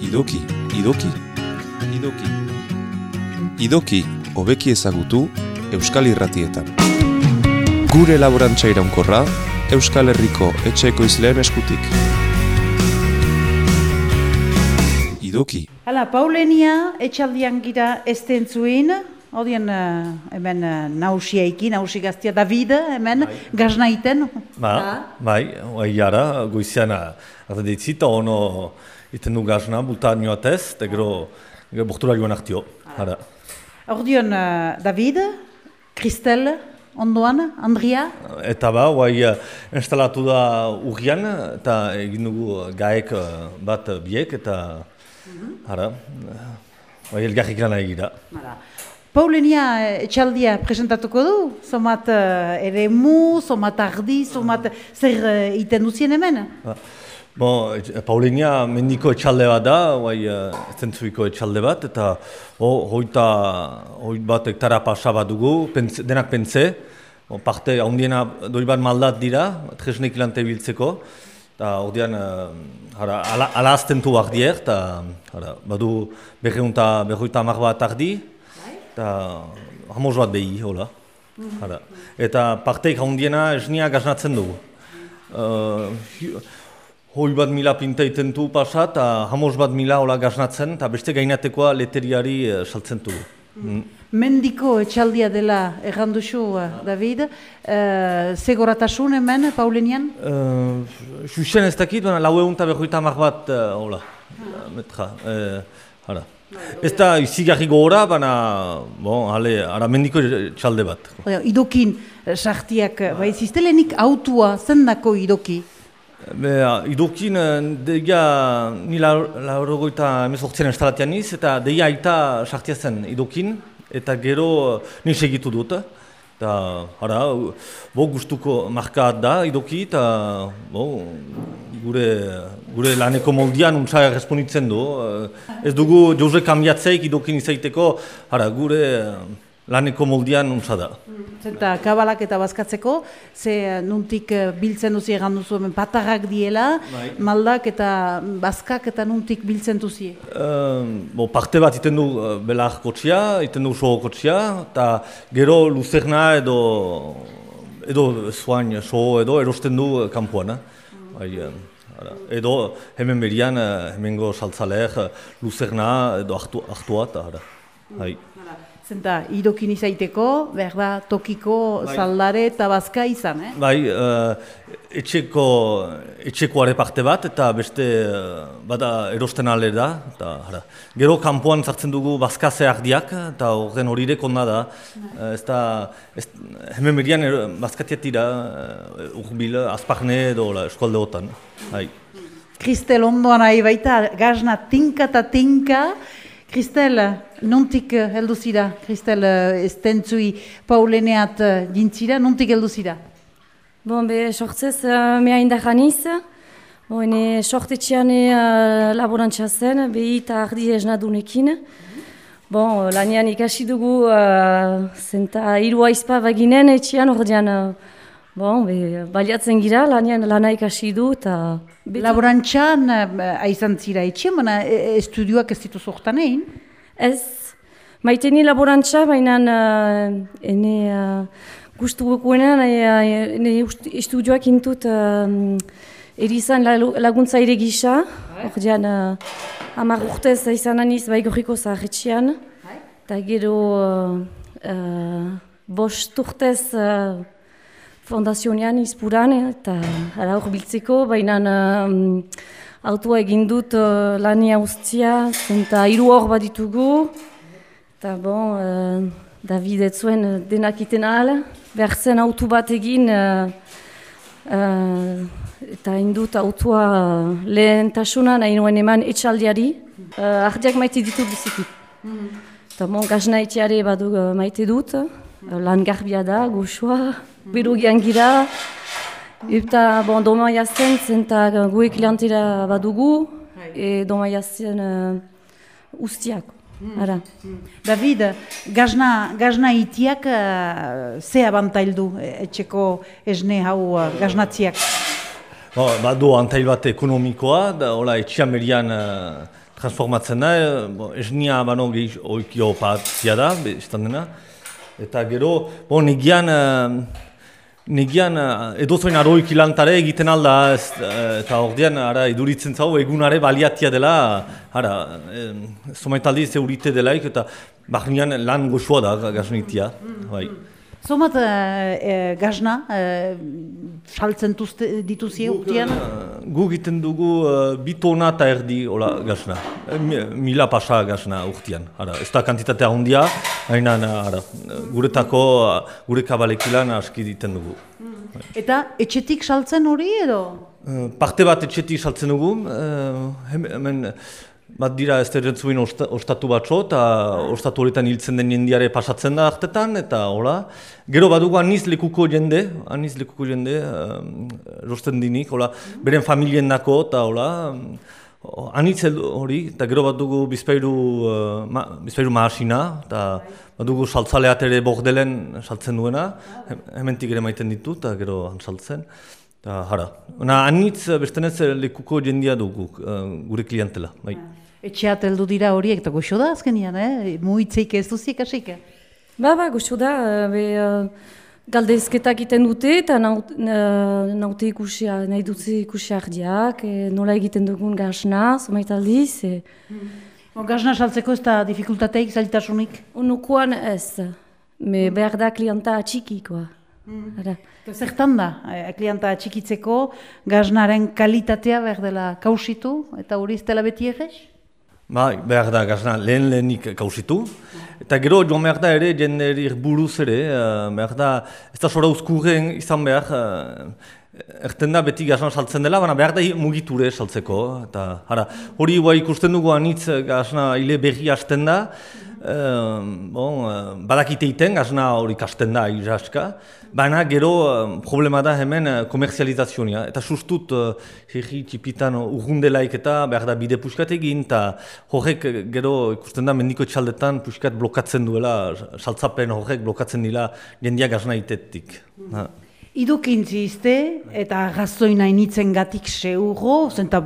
Idoki, idoki, idoki. Idoki, hobeki ezagutu, Euskal Irratietan. Gure laborantza iraunkorra, Euskal Herriko etxe ekoizleen eskutik. Idoki. Hala, Paulenia, etxaldian gira estentzuin, odien hemen nausi gaztia David, hemen gaznaiten. Bai, jara, goizian ardeitzita ono iten du gazna, bulta nioatez, eta gero bortura joan artio. Ordion David, Kristel, ondoan, Andria? Eta instalatu da urrian, eta egin dugu gaek bat biek, eta elgarrik lan egira. Paulenia etxaldia presentatuko du? Somat eremu, somat ardi, somat zer iten duzien hemen? Paulenia mendiko etxalde bat da, zentzuiko etxalde bat, eta hoit bat hektara pasa bat dugu, denak pentze, parte handiena doi bat maldat dira, tresnek ilante biltzeko, eta ordean ala aztentu bat dier, eta badu berreunta amar bat ardi, eta hamoz bat behi, hola. Eta parteik handiena esnia gaznatzen dugu. Hoi bat mila pinta itentu pasa, eta hamoz bat mila hola gaznatzen, eta beste gainatekoa leteriari saltzen dugu. Mendiko etxaldia dela erranduzu, David, segoratasun hemen, Paulenian? Xuxen ez dakit, lau egun eta berroita amar bat, hola, metra, ez da izigarri gogora, ara mendiko etxalde bat. Idokin sartiak, ziztelenik autua, zendako idoki? Idokin, deia nila laurogoita emezortzian instalatian niz, eta deia aita sartia zen idokin, eta gero nik segitu dut. Gustuko markaat da idoki, eta gure laneko moldian untsa responitzen du. Ez dugu jauze kambiatzeik idokin izaiteko, gure laneko moldian untsa da. Eta kabalak eta bazkatzeko, ze nuntik biltzen duzi egan duzu hemen patarrak diela, maldak eta bazkak eta nuntik biltzen duzi? Parte bat iten du belar kotxia, iten du soho kotxia, eta gero luzerna edo soain soho edo erosten du kanpoan. Edo hemen berian, hemengo saltzaler, luzerna edo hartua eta Zenta, idokin izaiteko, behar da, tokiko zaldare eta bazka izan, etxeko are parte bat, eta beste bada erosten ale da. Gero kanpoan sartzen dugu bazka zehardiak, eta horren horirek onna da. Hemen berian bazkatiat dira, urbil, azparne edo eskualdeotan. Kristel ondoan nahi baita, gazna tinka eta tinka. Kristel, nontik heldu zira? Kristel, estentzui Pauleneat gintzira, nontik heldu zira? Sortzez, mea indahaniz. Hene sortetxean laborantza zen, behi eta ardi esnadunekin. Lanean ikasi dugu, zenta hiru aizpa baginen etxean, ordean baliatzen gira, lanean lana ikasi du. Laborantzan aizan zira etxean, baina estudioak ez dituz horretan egin? Ez, maiteni laborantza, baina gustu gukuenan estudioak intut erizan laguntzaile gisa, ordean 10 urtez izan aniz baigorriko zaharretxean, eta gero 5 urtez fondazionean izpuran, eta hor biltzeko, baina autua egin dut lania ustia, zenta 3 hor bat ditugu, eta David ez zuen denak iten ahal, behar zen autu bat egin, eta indut autua lehentasuna nahi nuen eman etxaldiari, ardiak maite ditut biziki. Eta gazna etiare badu maite dut, lan garbia da, goxoa, berugian gira, eta doma jazten, zenta gue klientera badugu, doma jazten ustiak. David, gazna itiak ze abantail du etxeko esne hau gaznatziak? Badu antail bat ekonomikoa, etxean berian transformatzen da, esnia bano oikio patzia da, izan dena. Eta gero, negian edozoin aroik ilantare egiten alda, eta ordean iduritzen zau egunare baliatia dela, somaitaldi zeurite delaik, eta barnean lan goxua da gaznitia. Zomat gazna, saltzen dituzie urtean? Gu egiten dugu 2 tona eta erdi gazna, 1000 pasa gazna urtean. Ez da kantitatea handia, guretako, gure kabalekilan aski egiten dugu. Eta etxetik saltzen hori edo? Parte bat etxetik saltzen dugu, hemen bat dira ez terrentzuin ostatu batxo, eta ostatu horretan hiltzen den jendiare pasatzen da hartetan, eta hola. Gero badugu aniz lekuko jende, rosten dinik, hola, beren familien dako, eta hola. Anitz hori, eta gero badugu bizpairu mahasina, eta badugu saltzaleat ere bordelen saltzen duena, hementik ere maiten ditu, eta gero saltzen. Anitz bestenez lekuko jendia dugu, gure klientela. Etxeat heldu dira horiek, eta goxo da azkenian, muitzeik ez duzik asik? Goxo da, galdezketak iten dute, eta naute ikusia, nahi dutze ikusia ardiak, nola egiten dugun gazna, somaitaldiz. Gazna saltzeko ez da dificultateik, zailtasunik? Onukoan ez, behar da klienta atxikikoa. Zertan da, klienta atxikitzeko gaznaren kalitatea behar dela kausitu, eta hori ez dela beti egez? Behar da gazna lehenik kausitu, eta gero joan behar da ere jenderi buruz ere, behar da, ez da sora uzkurren izan behar, erten da beti gazna saltzen dela, baina behar da mugiture saltzeko, eta hori ikusten dugu anitz gazna hile berri hasten da, badakite iten, gazna hori kasten da iraska, baina gero problema da hemen komerzializazioa. Eta sustut herri txipitan urrundelaik eta behar da bide puskat egin, eta horrek gero ikusten da mendiko txaldetan puskat blokatzen duela, saltzapen horrek blokatzen dila jendia gazna itetik. Idukintzi izte, eta gaztoina initzen gatik seurro, zenta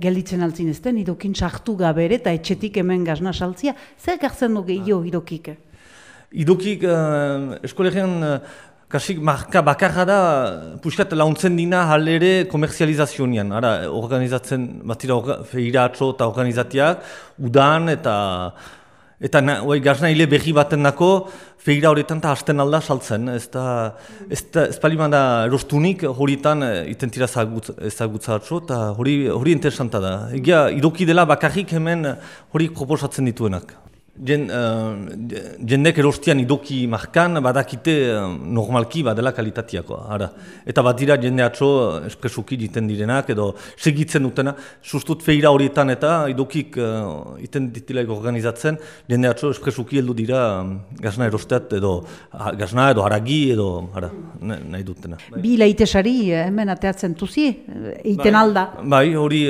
gelditzen altzin ezten, idukintz hartu gabere eta etxetik hemen gazna saltzia, zer gartzen du gehiago idokik? Idokik eskolegian kasik marka bakarra da, puskat launtzen dina halere komerzializazioan. Organizatzen, batira feira atxo eta organizatiak, udan eta gazna hile berri baten dako, feira horietan eta hasten alda saltzen. Ez paliman da erostunik horietan itentira ezagutza atxo, eta hori interesanta da. Egia, idoki dela bakarrik hemen horiek proposatzen dituenak. Jendek erostian idoki markan badakite normalki badela kalitateako. Eta bat dira jende atxo espresuki jiten direnak edo segitzen dutena. Sustut feira horietan eta idokik iten ditilaik organizatzen, jende atxo espresuki heldu dira gazna erosteat edo gazna edo haragi edo nahi dutena. Bi laitesari hemen ateatzen tuzi, eiten alda? Bai, hori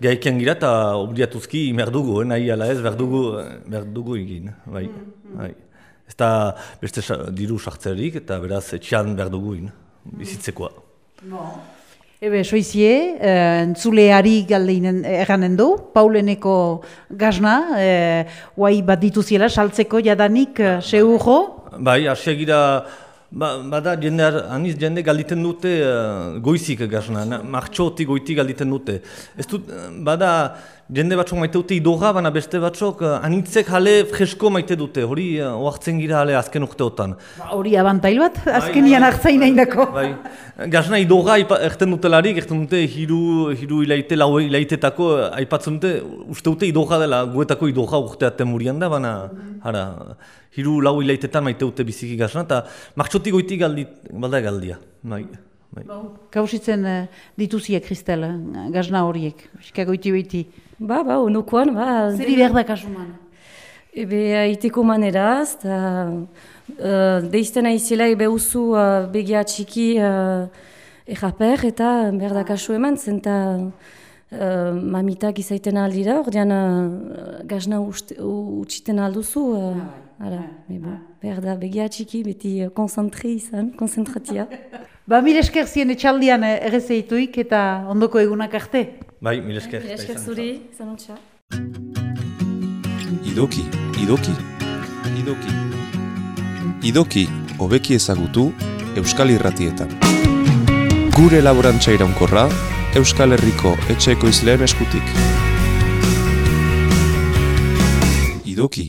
gaekian gira eta obliatuzki merdugu, nahi ala ez, berdugu egin, bai. Ez da beste diru sartzerik eta beraz etxean berdugu egin, bizitzekoa. Ebe, soizie, entzuleari galdeinen erranen du, Pauleneko gazna, guai bat dituziela, saltzeko jadanik, seurro? Bai, asiagira, bada aniz jende galditen dute goizik gazna, martxotik goitik galditen dute. Ez dut, bada jende batzok maite dute idorra, baina beste batzok anitzek jale fresko maite dute, hori oartzen gira jale azken urteotan. Hori abantail bat, azkenian hartzain nahi dako. Gazna idorra erten dutelarik, erten dute hiru hilaite, lau hilaitetako aipatzen dute, uste dute idorra dela, guetako idorra urteaten murian da, baina hiru lau hilaitetan maite dute biziki gazna, eta martxotik goitik balda galdia. Kausitzen dituzie, Kristel, gazna horiek, goiti behiti. Onokoan, Zeri behar da kasuman? Iteko maneraz, deizten aizela uzu begia txiki erraper eta behar da kasu eman, zenta mamitak izaiten aldira, ordean gazna utxiten alduzu, behar da begia txiki beti konzentre izan, konzentratia. Mil esker zien etxaldian errezeituik eta ondoko egunak arte. Bai, mil esker. Mil esker zuri, izan utxa. Idoki, idoki, idoki. Idoki, hobeki ezagutu Euskal Irratietan. Gure laborantza iraunkorra Euskal Herriko etxe ekoizleen eskutik. Idoki.